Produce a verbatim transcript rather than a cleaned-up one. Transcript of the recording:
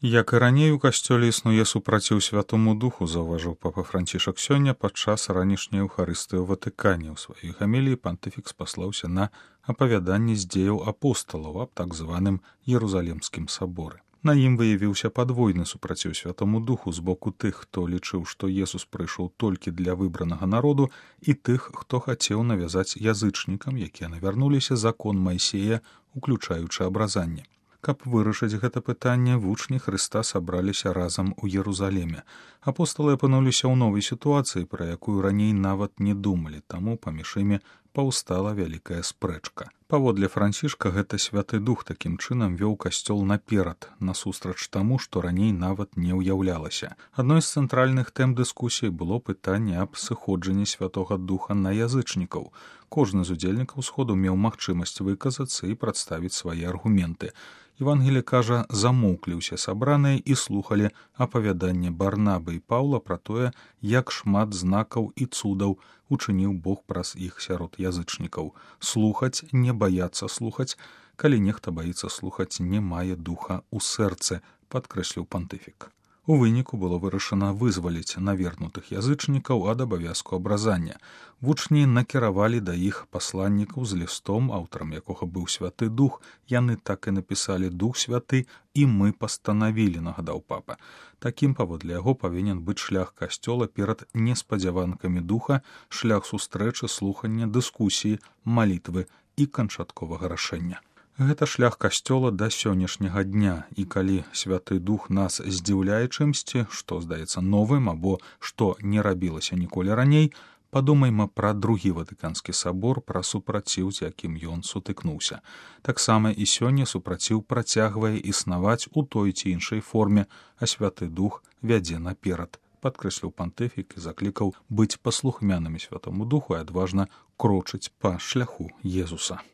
Як і раней у касцёле існуе супраціў святому духу, заўважыў папа Францішак сёння падчас ранішняй эўхарыстыі ў Ватыкане. У сваёй гаміліі пантыфік спаслаўся на апавяданні з дзеяў апосталаў аб так званым Єрусалімскім саборы. На ім выявіўся падвойны супраціў святому духу з боку тых, хто лічыў, што Jesús прыйшоў толькі для выбранага народу, і тых, хто хацеў навязаць язычнікам, якія навярнуліся закон Майсея, уключаючы абразанне. Каб вырашыць гэта пытанне, вучні Хрыста сабраліся разам у Єрусаліме. Апосталы апынуліся ў новай сітуацыі, пра якую раней нават не думалі, таму паміж імі паўстала вялікая спрэчка. Паводле Францішка, гэта святы дух такім чынам вёў касцёл наперад, насустрач таму, што раней нават не ўяўлялася. Адной з цэнтральных тэм дыскусіі было пытанне аб сыходжанні святога духа на язычнікаў. Кожны з удзельнікаў сходу меў магчымасць выказацца і прадставіць свае аргументы. Евангелі кажа, замоўклі ўсе сабраныя і слухалі апавяданне Барнабы і Паўла пра тое, як шмат знакаў і цудаў учыніў Бог праз іх сярод язычнікаў. Слухаць, не баяцца слухаць. Калі нехта баіцца слухаць, не мае духа ў сэрцы, падкрэсліў пантыфік. У выніку было вырашана вызваліць навернутых язычнікаў ад абавязку абразання. Вучні накіравалі да іх пасланнікаў з лістом, аўтарам якога быў святы дух. Яны так і напісалі «Дух святы» і «Мы пастанавілі», нагадаў папа. Такім, паводле яго, павінен быць шлях касцёла перад неспадзяванкамі духа, шлях сустрэчы, слухання, дыскусіі, малітвы і канчатковага рашэння. Гэта шлях касцёла да сённяшняга дня, і калі святы дух нас здзіўляе чымсьці, што здаецца новым або што не рабілася ніколі раней, падумайма пра другі Ватыканскі сабор, пра супраціў, з якім ён сутыкнуўся. Таксама і сёння супраціў працягвае існаваць у той ці іншай форме, а святы дух вядзе наперад, падкрэсліў пантыфік і заклікаў быць паслухмянымі святому духу і адважна крочыць па шляху Jesúsa.